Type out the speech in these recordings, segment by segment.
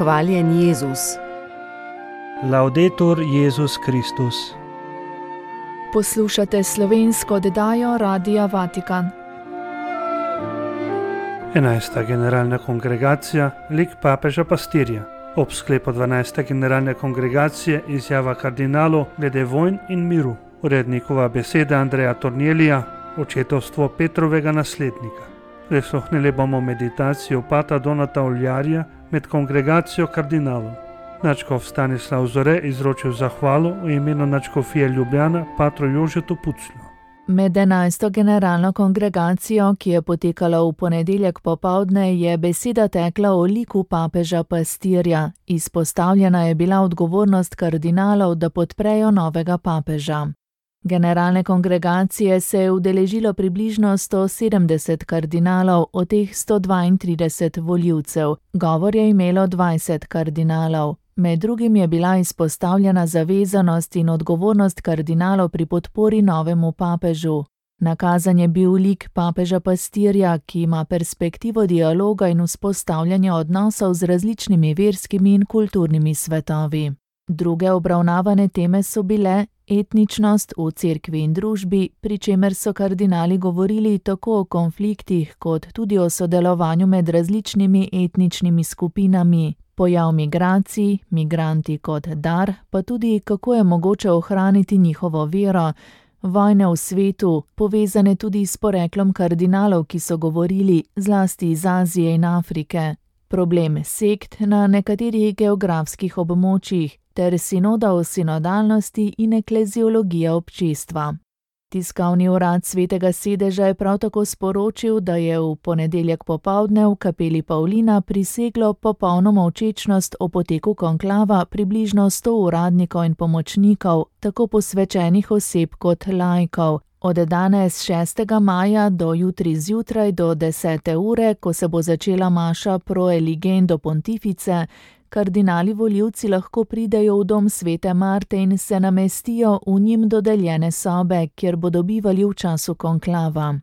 Hvaljen Jezus. Laudetur Jezus Kristus. Poslušate slovensko oddajo Radia Vatikan. 11. generalna kongregacija, lik papeža pastirja. Ob sklepu 12. generalne kongregacije izjava kardinalov glede vojn in miru. Urednikova beseda Andreja Tornelija, očetovstvo Petrovega naslednika. Prisluhnili bomo meditacijo pata Donata Oljarja med kongregacijo kardinalov. Nadškof Stanislav Zore izročil zahvalo v imenu nadškofije Ljubljana patru Jožetu Puclju. Med 11. generalno kongregacijo, ki je potekala v ponedeljek popoldne, je beseda tekla o liku papeža pastirja. Izpostavljena je bila odgovornost kardinalov, da podprejo novega papeža. Generalne kongregacije se je udeležilo približno 170 kardinalov, od teh 132 volivcev. Govor je imelo 20 kardinalov. Med drugim je bila izpostavljena zavezanost in odgovornost kardinalov pri podpori novemu papežu. Nakazan je bil lik papeža pastirja, ki ima perspektivo dialoga in vzpostavljanja odnosov z različnimi verskimi in kulturnimi svetovi. Druge obravnavane teme so bile etničnost v cerkvi in družbi, pri čemer so kardinali govorili tako o konfliktih kot tudi o sodelovanju med različnimi etničnimi skupinami, pojav migracij, migranti kot dar, pa tudi kako je mogoče ohraniti njihovo vero, vojne v svetu, povezane tudi s poreklom kardinalov, ki so govorili zlasti iz Azije in Afrike, problem sekt na nekaterih geografskih območjih, ter sinoda o sinodalnosti in ekleziologija občestva. Tiskovni urad Svetega sedeža je prav tako sporočil, da je v ponedeljek popoldne v kapeli Pavlina priseglo popolno molčečnost o poteku konklava približno 100 uradnikov in pomočnikov, tako posvečenih oseb kot laikov. Od danes 6. maja do jutri zjutraj do 10. ure, ko se bo začela maša pro eligendo pontifice, kardinali volivci lahko pridejo v dom svete Marte in se namestijo v njim dodeljene sobe, kjer bodo bivali v času konklava.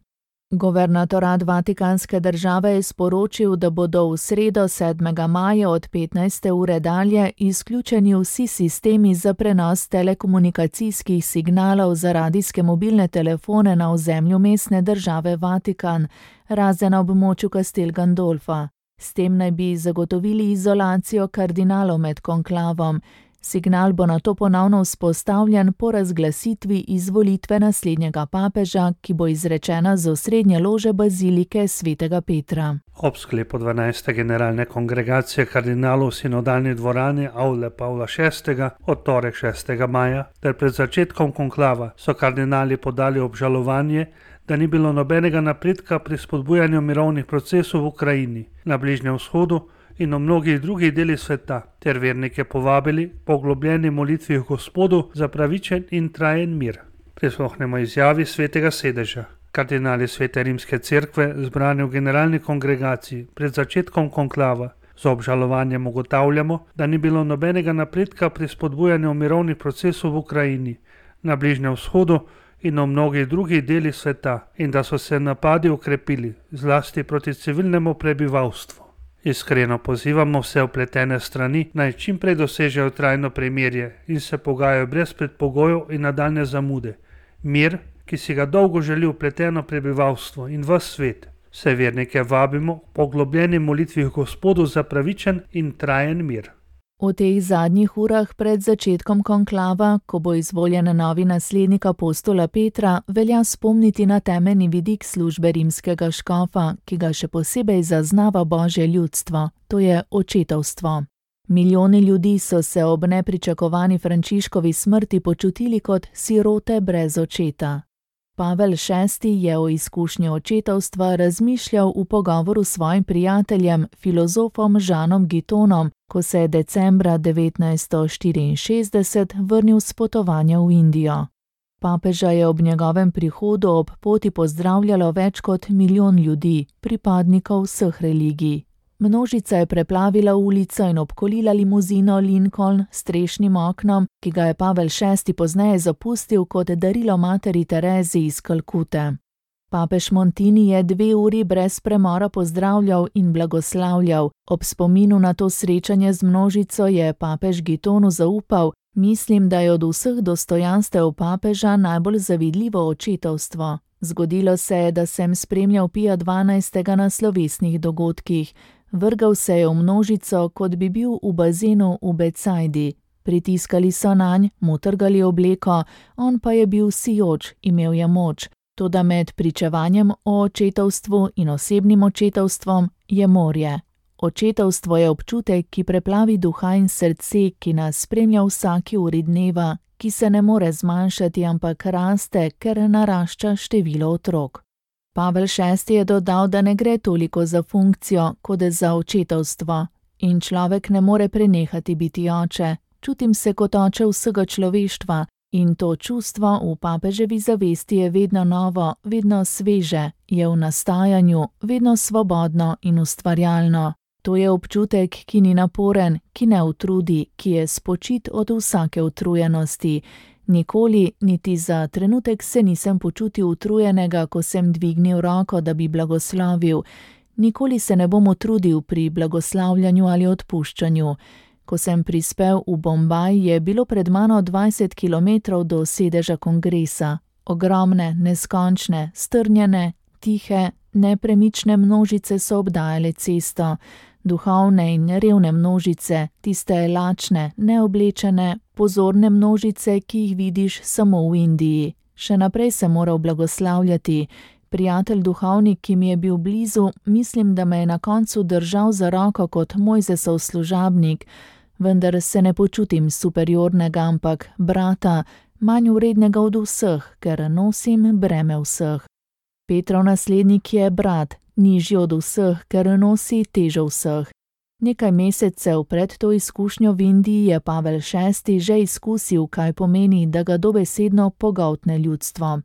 Guvernatorat Vatikanske države je sporočil, da bodo v sredo 7. maja od 15. ure dalje izključeni vsi sistemi za prenos telekomunikacijskih signalov za radijske mobilne telefone na ozemlju mestne države Vatikan, razen na območju Castel Gandolfa. S tem naj bi zagotovili izolacijo kardinalov med konklavom. Signal bo nato ponovno vzpostavljen po razglasitvi izvolitve naslednjega papeža, ki bo izrečena z osrednje lože bazilike svetega Petra. Ob sklepu 12. generalne kongregacije kardinalov v sinodalni dvorani Avle Pavla VI. Od torek 6. maja ter pred začetkom konklava so kardinali podali obžalovanje, da ni bilo nobenega napredka pri spodbujanju mirovnih procesov v Ukrajini, na Bližnjem vzhodu in v mnogih drugih delih sveta, ter vernike povabili po poglobljeni molitvi v Gospodu za pravičen in trajen mir. Prisluhnemo izjavi Svetega sedeža. Kardinali Svete rimske cerkve, zbrani v generalni kongregaciji pred začetkom konklava, z obžalovanjem ugotavljamo, da ni bilo nobenega napredka pri spodbujanju mirovnih procesov v Ukrajini, na Bližnjem vzhodu in v mnogih drugih delih sveta, in da so se napadi ukrepili, zlasti proti civilnemu prebivalstvu. Iskreno pozivamo vse vpletene strani, naj čim prej dosežejo trajno premirje in se pogajajo brez predpogojev in nadaljne zamude. Mir, ki si ga dolgo želi vpleteno prebivalstvo in ves svet. Vse vernike vabimo k poglobljeni molitvi v Gospodu za pravičen in trajen mir. V teh zadnjih urah pred začetkom konklava, ko bo izvoljen novi naslednik apostola Petra, velja spomniti na temeljni vidik službe rimskega škofa, ki ga še posebej zaznava Božje ljudstvo, to je očetovstvo. Milijoni ljudi so se ob nepričakovani Frančiškovi smrti počutili kot sirote brez očeta. Pavel VI. Je o izkušnji očetovstva razmišljal v pogovoru s svojim prijateljem, filozofom Žanom Gitonom, ko se je decembra 1964 vrnil s potovanja v Indijo. Papeža je ob njegovem prihodu ob poti pozdravljalo več kot 1 milijon ljudi, pripadnikov vseh religij. Množica je preplavila ulico in obkolila limuzino Lincoln s strešnim oknom, ki ga je Pavel VI. Pozneje zapustil kot darilo materi Terezi iz Kalkute. Papež Montini je 2 uri brez premora pozdravljal in blagoslavljal. Ob spominu na to srečanje z množico je papež Gitonu zaupal: "Mislim, da je od vseh dostojanstev papeža najbolj zavidljivo očetovstvo. Zgodilo se je, da sem spremljal Pija XII. Na slovesnih dogodkih. Vrgal se je v množico, kot bi bil v bazenu v Becajdi. Pritiskali so nanj, mu trgali obleko, on pa je bil sijoč, imel je moč. Toda med pričevanjem o očetovstvu in osebnim očetovstvom je morje. Očetovstvo je občutek, ki preplavi duha in srce, ki nas spremlja vsaki uri dneva, ki se ne more zmanjšati, ampak raste, ker narašča število otrok." Pavel VI. Je dodal, da ne gre toliko za funkcijo, kot za očetovstvo. In človek ne more prenehati biti oče. Čutim se kot oče vsega človeštva in to čustvo v papeževi zavesti je vedno novo, vedno sveže, je v nastajanju, vedno svobodno in ustvarjalno. To je občutek, ki ni naporen, ki ne utrudi, ki je spočit od vsake utrujenosti. Nikoli, niti za trenutek se nisem počutil utrujenega, ko sem dvignil roko, da bi blagoslovil. Nikoli se ne bom utrudil pri blagoslavljanju ali odpuščanju. Ko sem prispel v Bombaj, je bilo pred mano 20 kilometrov do sedeža kongresa. Ogromne, neskončne, strnjene, tihe, nepremične množice so obdajale cesto. Duhovne in revne množice, tiste lačne, neoblečene, pozorne množice, ki jih vidiš samo v Indiji. Še naprej sem moral blagoslavljati. Prijatelj duhovnik, ki mi je bil blizu, mislim, da me je na koncu držal za roko kot Mojzesov služabnik, vendar se ne počutim superiornega, ampak brata, manj vrednega od vseh, ker nosim breme vseh. Petrov naslednik je brat, nižji od vseh, ker nosi težo vseh. Nekaj mesecev pred to izkušnjo v Indiji je Pavel VI. Že izkusil, kaj pomeni, da ga dobesedno pogoltne ljudstvo.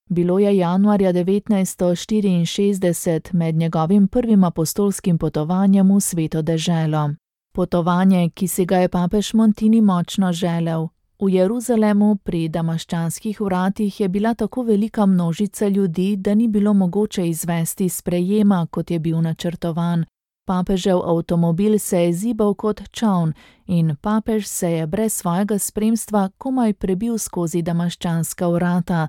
Bilo je januarja 1964 med njegovim prvim apostolskim potovanjem v Sveto deželo. Potovanje, ki si ga je papež Montini močno želel. V Jeruzalemu pri damaščanskih vratih je bila tako velika množica ljudi, da ni bilo mogoče izvesti sprejema, kot je bil načrtovan. Papežev avtomobil se je zibal kot čoln in papež se je brez svojega spremstva komaj prebil skozi damaščanska vrata,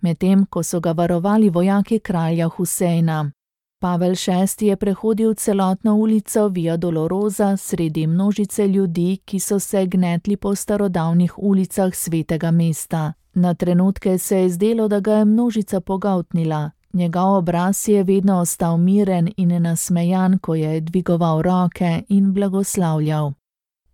medtem ko so ga varovali vojaki kralja Huseina. Pavel VI. Je prehodil celotno ulico Via Dolorosa sredi množice ljudi, ki so se gnetli po starodavnih ulicah svetega mesta. Na trenutke se je zdelo, da ga je množica pogoltnila. Njegov obraz je vedno ostal miren in nasmejan, ko je dvigoval roke in blagoslavljal.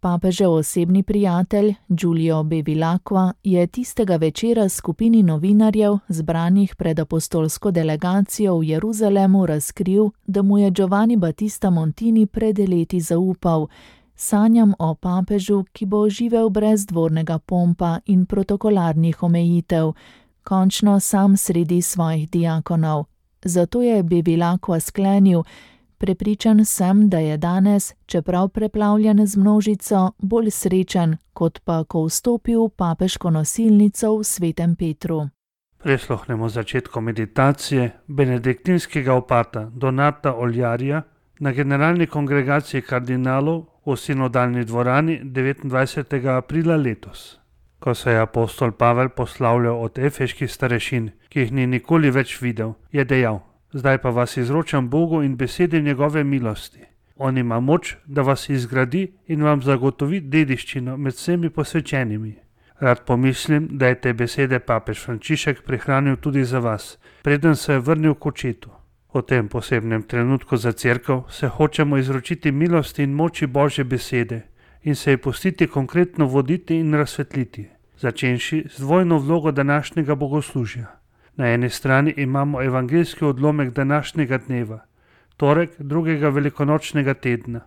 Papežev osebni prijatelj, Giulio Bevilacqua, je tistega večera skupini novinarjev, zbranih pred apostolsko delegacijo v Jeruzalemu, razkril, da mu je Giovanni Battista Montini pred leti zaupal: "Sanjam o papežu, ki bo živel brez dvornega pompa in protokolarnih omejitev, končno sam sredi svojih diakonov." Zato je Bevilacqua sklenil: "Prepričan sem, da je danes, čeprav preplavljen z množico, bolj srečen, kot pa ko vstopi v papeško nosilnico v Svetem Petru." Prisluhnemo začetku meditacije benediktinskega opata Donata Oljarija na generalni kongregaciji kardinalov v sinodalni dvorani 29. aprila letos. Ko se je apostol Pavel poslavljal od efeških starešin, ki jih ni nikoli več videl, je dejal: "Zdaj pa vas izročam Bogu in besedi njegove milosti. On ima moč, da vas izgradi in vam zagotovi dediščino med vsemi posvečenimi." Rad pomislim, da je te besede papež Frančišek prihranil tudi za vas, preden se je vrnil k očetu. V tem posebnem trenutku za cerkev se hočemo izročiti milosti in moči Božje besede in se ji pustiti konkretno voditi in razsvetliti, začenši z dvojno vlogo današnjega bogoslužja. Na eni strani imamo evangeljski odlomek današnjega dneva, torek drugega velikonočnega tedna,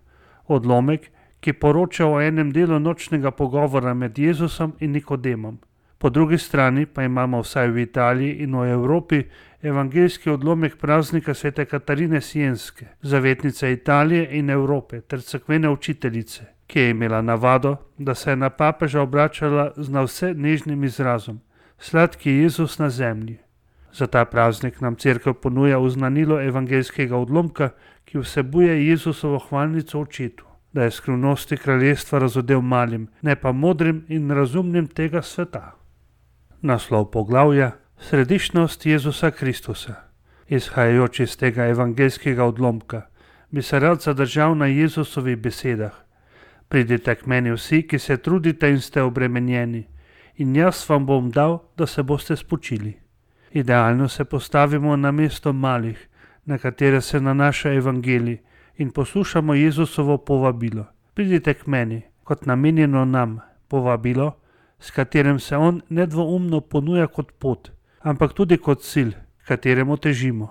odlomek, ki poroča o enem delu nočnega pogovora med Jezusom in Nikodemom. Po drugi strani pa imamo vsaj v Italiji in v Evropi evangeljski odlomek praznika svete Katarine Sienske, zavetnice Italije in Evrope ter cerkvene učiteljice, ki je imela navado, da se je na papeža obračala z nadvse nežnim izrazom: "Sladki Jezus na zemlji." Za ta praznik nam Cerkev ponuja oznanilo evangeljskega odlomka, ki vsebuje Jezusovo hvalnico očetu, da je skrivnosti kraljestva razodel malim, ne pa modrim in razumnim tega sveta. Naslov poglavja: Središčnost Jezusa Kristusa. Izhajajoč iz tega evangeljskega odlomka, bi se rad zadržal na Jezusovih besedah: Pridite k meni vsi, ki se trudite in ste obremenjeni, in jaz vam bom dal, da se boste spočili. Idealno se postavimo na mesto malih, na katere se nanaša evangelij, in poslušamo Jezusovo povabilo: Pridite k meni, kot namenjeno nam, povabilo, s katerim se on nedvoumno ponuja kot pot, ampak tudi kot cilj, kateremu težimo.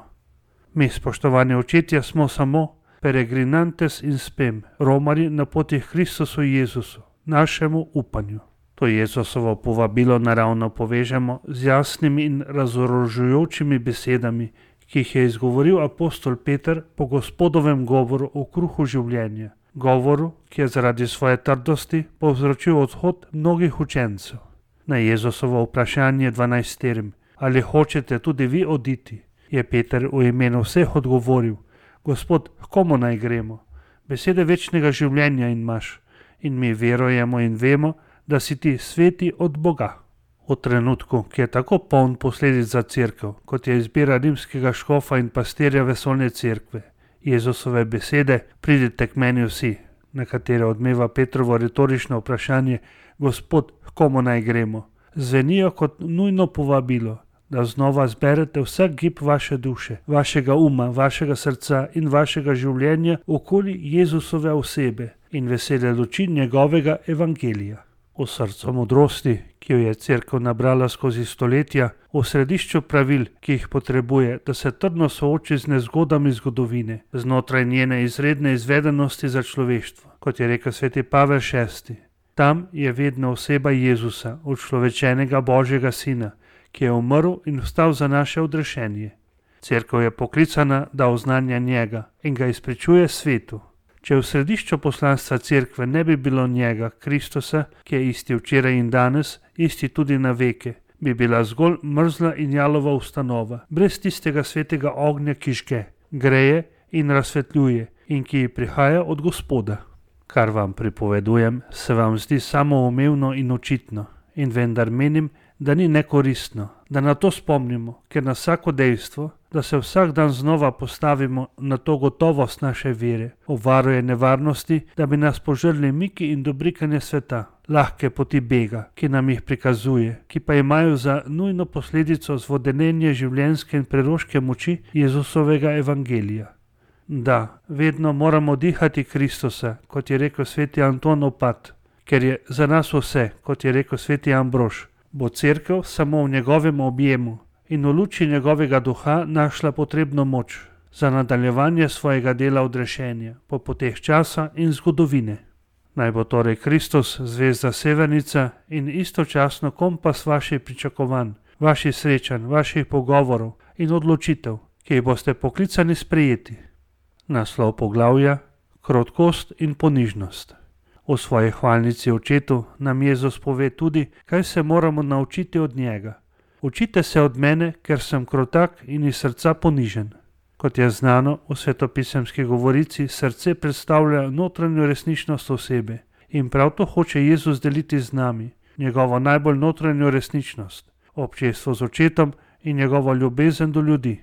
Mi, spoštovani očetje, smo samo peregrinantes in spem, romarji na poti k Kristusu Jezusu, našemu upanju. To Jezusovo povabilo naravno povežemo z jasnimi in razorožujočimi besedami, ki jih je izgovoril apostol Peter po Gospodovem govoru o kruhu življenja, govoru, ki je zaradi svoje trdosti povzročil odhod mnogih učencev. Na Jezusovo vprašanje 12, ali hočete tudi vi oditi, je Peter v imenu vseh odgovoril: Gospod, k komu naj gremo? Besede večnega življenja imaš, in mi verujemo in vemo, da si ti sveti od Boga. V trenutku, ki je tako poln posledic za Cerkev, kot je izbira rimskega škofa in pastirja vesoljne cerkve, Jezusove besede: Pridite k meni vsi, na katere odmeva Petrovo retorično vprašanje: Gospod, k komu naj gremo, zvenijo kot nujno povabilo, da znova zberete vsak gib vaše duše, vašega uma, vašega srca in vašega življenja okoli Jezusove osebe in vesele luči njegovega evangelija. V srcu modrosti, ki jo je Cerkev nabrala skozi stoletja, v središču pravil, ki jih potrebuje, da se trdno sooči z nezgodami zgodovine, znotraj njene izredne izvedenosti za človeštvo, kot je rekel sveti Pavel VI. Tam je vedno oseba Jezusa, učlovečenega Božjega Sina, ki je umrl in vstal za naše odrešenje. Cerkev je poklicana, da oznanja njega in ga izpričuje svetu. Če v središču poslanstva Cerkve ne bi bilo njega, Kristusa, ki je isti včeraj in danes, isti tudi na veke, bi bila zgolj mrzla in jalova ustanova, brez tistega svetega ognja, ki žge, greje in razsvetljuje in ki prihaja od Gospoda. Kar vam pripovedujem, se vam zdi samoumevno in očitno, in vendar menim, da ni nekoristno, da na to spomnimo, ker na vsako dejstvo, da se vsak dan znova postavimo na to gotovost naše vere, obvaruje nevarnosti, da bi nas požrli miki in dobrikanje sveta, lahke poti bega, ki nam jih prikazuje, ki pa imajo za nujno posledico zvodenenje življenjske in preroške moči Jezusovega evangelija. Da, vedno moramo dihati Kristusa, kot je rekel sveti Anton Opat, ker je za nas vse, kot je rekel sveti Ambrož, bo Cerkev samo v njegovem objemu in v luči njegovega duha našla potrebno moč za nadaljevanje svojega dela odrešenja po poteh časa in zgodovine. Naj bo torej Kristus zvezda severnica in istočasno kompas vaših pričakovanj, vaših srečanj, vaših pogovorov in odločitev, ki jih boste poklicani sprejeti. Naslov poglavja: Krotkost in ponižnost. V svoji hvalnici očetu nam Jezus pove tudi, kaj se moramo naučiti od njega. Učite se od mene, ker sem krotak in iz srca ponižen. Kot je znano, v svetopisemski govorici srce predstavlja notranjo resničnost osebe in prav to hoče Jezus deliti z nami, njegovo najbolj notranjo resničnost, občestvo z očetom in njegovo ljubezen do ljudi.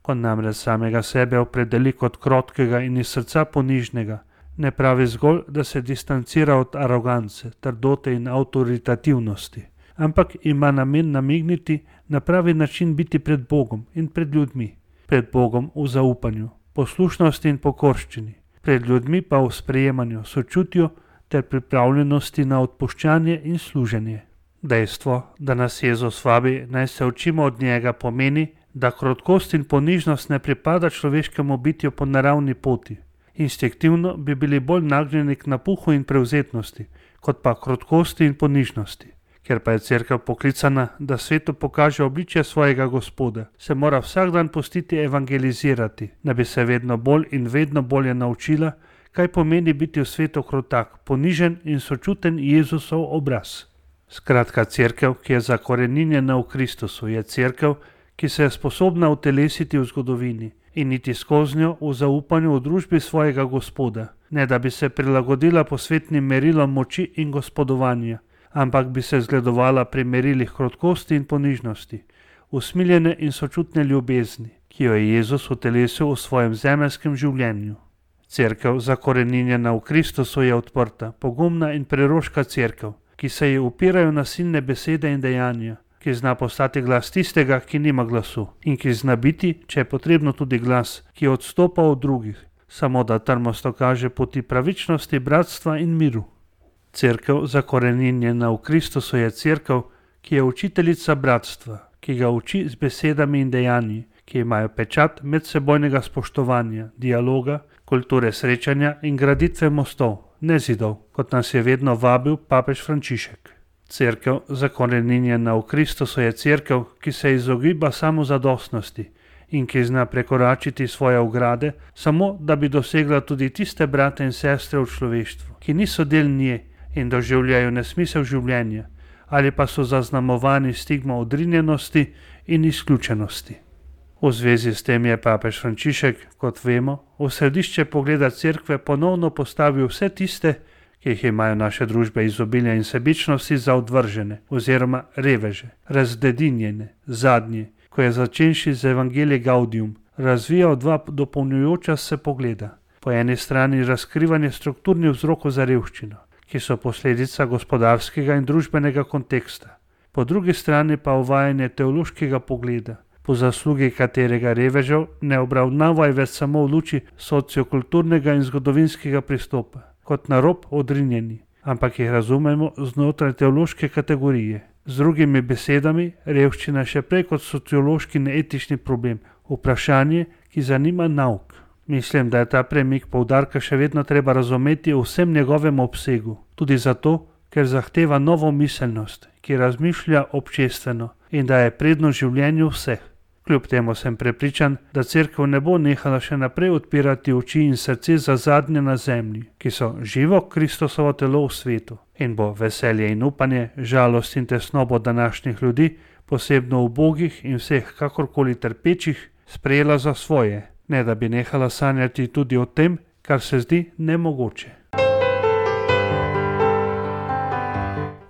Ko namreč samega sebe opredeli kot krotkega in iz srca ponižnega, ne pravi zgolj, da se distancira od arogance, trdote in avtoritativnosti, ampak ima namen namigniti na pravi način biti pred Bogom in pred ljudmi. Pred Bogom v zaupanju, poslušnosti in pokorščini, pred ljudmi pa v sprejemanju, sočutju ter pripravljenosti na odpuščanje in služenje. Dejstvo, da nas Jezus vabi, naj se učimo od njega, pomeni, da krotkost in ponižnost ne pripada človeškemu bitju po naravni poti. Instinktivno bi bili bolj nagnjeni k napuhu in prevzetnosti, kot pa krotkosti in ponižnosti. Ker pa je Cerkev poklicana, da svetu pokaže obličje svojega Gospoda, se mora vsak dan pustiti evangelizirati, da bi se vedno bolj in vedno bolje naučila, kaj pomeni biti v svetu krotak, ponižen in sočuten Jezusov obraz. Skratka, Cerkev, ki je zakoreninjena v Kristusu, je Cerkev, ki se je sposobna utelesiti v zgodovini in iti skozi njo v zaupanju v družbi svojega Gospoda, ne da bi se prilagodila posvetnim merilom moči in gospodovanja, ampak bi se zgledovala pri merilih krotkosti in ponižnosti, usmiljene in sočutne ljubezni, ki jo je Jezus utelesil v svojem zemeljskem življenju. Cerkev, zakoreninjena v Kristusu, je odprta, pogumna in preroška cerkev, ki se ji upirajo nasilne besede in dejanja, ki zna postati glas tistega, ki nima glasu, in ki zna biti, če je potrebno, tudi glas, ki odstopa od drugih, samo da trmasto kaže poti pravičnosti, bratstva in miru. Cerkev, zakoreninjena v Kristusu, je cerkev, ki je učiteljica bratstva, ki ga uči z besedami in dejanji, ki imajo pečat medsebojnega spoštovanja, dialoga, kulture srečanja in graditve mostov, ne zidov, kot nas je vedno vabil papež Frančišek. Cerkev, zakoreninjena v Kristusu, je cerkev, ki se izogiba samozadostnosti in ki zna prekoračiti svoje ograde, samo da bi dosegla tudi tiste brate in sestre v človeštvu, ki niso del nje in doživljajo nesmisel življenja, ali pa so zaznamovani stigmo odrinjenosti in izključenosti. V zvezi s tem je papež Frančišek, kot vemo, v središče pogleda cerkve ponovno postavil vse tiste, ki jih imajo naše družbe izobilja in sebičnosti, za odvržene oziroma reveže, razdedinjene, zadnje, ko je začenši z Evangelij Gaudium razvijal dva dopolnjujoča se pogleda. Po eni strani razkrivanje strukturnih vzrokov za revščino, ki so posledica gospodarskega in družbenega konteksta, po drugi strani pa uvajanje teološkega pogleda, po zaslugi katerega revežev ne obravnavajo več samo v luči sociokulturnega in zgodovinskega pristopa, kot na rob odrinjeni, ampak jih razumemo znotraj teološke kategorije. Z drugimi besedami, revščina še prej kot sociološki neetični problem, vprašanje, ki zanima nauk. Mislim, da je ta premik poudarka še vedno treba razumeti v vsem njegovem obsegu, tudi zato, ker zahteva novo miselnost, ki razmišlja občestveno in da je predno življenju vseh. Kljub temu sem prepričan, da cerkev ne bo nehala še naprej odpirati oči in srce za zadnje na zemlji, ki so živo Kristusovo telo v svetu, in bo veselje in upanje, žalost in tesnobo današnjih ljudi, posebno ubogih in vseh kakorkoli trpečih, sprejela za svoje, ne da bi nehala sanjati tudi o tem, kar se zdi nemogoče.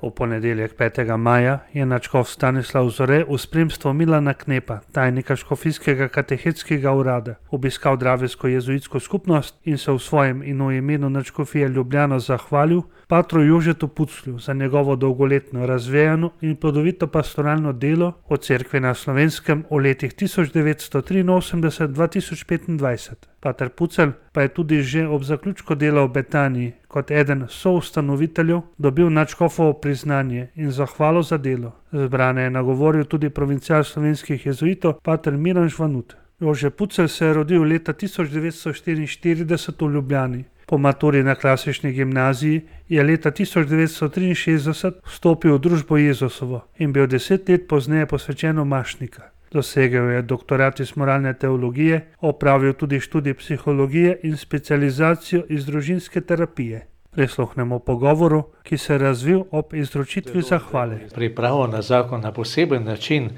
V ponedeljek 5. maja je nadškof Stanislav Zore v spremstvu Milana Knepa, tajnika škofijskega katehetskega urada, obiskal Dravijsko jezuitsko skupnost in se v svojem in v imenu nadškofije Ljubljana zahvalil patru Jožetu Puclju za njegovo dolgoletno razvejano in plodovito pastoralno delo v cerkvi na Slovenskem v letih 1983-2025. Pater Pucelj pa je tudi že ob zaključku dela v Betaniji kot eden soustanoviteljev dobil nadškofovo priznanje in zahvalo za delo. Zbrane je nagovoril tudi provincial slovenskih jezuitov pater Miran Žvanut. Jože Pucelj se je rodil leta 1944 v Ljubljani. Po maturi na klasični gimnaziji je leta 1963 vstopil v družbo Jezusovo in bil 10 let pozneje posvečen v mašnika. Dosegel je doktorat iz moralne teologije, opravil tudi študij psihologije in specializacijo iz družinske terapije. Prisluhnemo pogovoru, ki se je razvil ob izročitvi zahvale. Pripravo na zakon na poseben način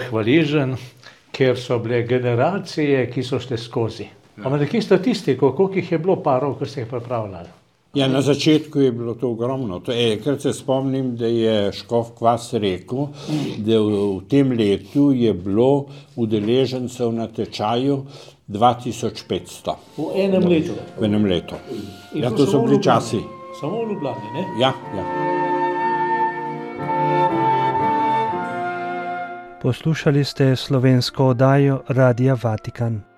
hvaležen, ker so bile generacije, ki so šle skozi. Imate nekaj statistiko, koliko jih je bilo parov, ko ste jih pripravljali? Ja, na začetku je bilo to ogromno. Enkrat se spomnim, da je škof Kvas rekel, da v tem letu je bilo udeležencev na tečaju 2500. V enem letu? V enem letu. Ja, to so bili časi. Samo v Ljubljani, ne? Ja. Poslušali ste slovensko oddajo Radia Vatikan.